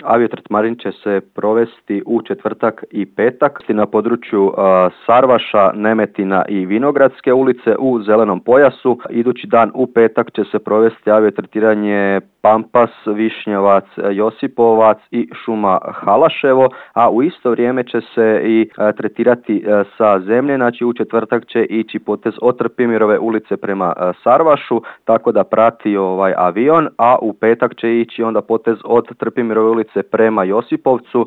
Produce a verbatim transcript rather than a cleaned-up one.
Aviotretmarin će se provesti u četvrtak i petak na području Sarvaša, Nemetina i Vinogradske ulice u zelenom pojasu. Idući dan u petak će se provesti aviotretiranje Pampas, Višnjevac, Josipovac i šuma Halaševo, a u isto vrijeme će se i tretirati sa zemlje. Znači u četvrtak će ići potez od Trpimirove ulice prema Sarvašu, tako da prati ovaj avion, a u petak će ići onda potez od Trpimirove ulice prema Josipovcu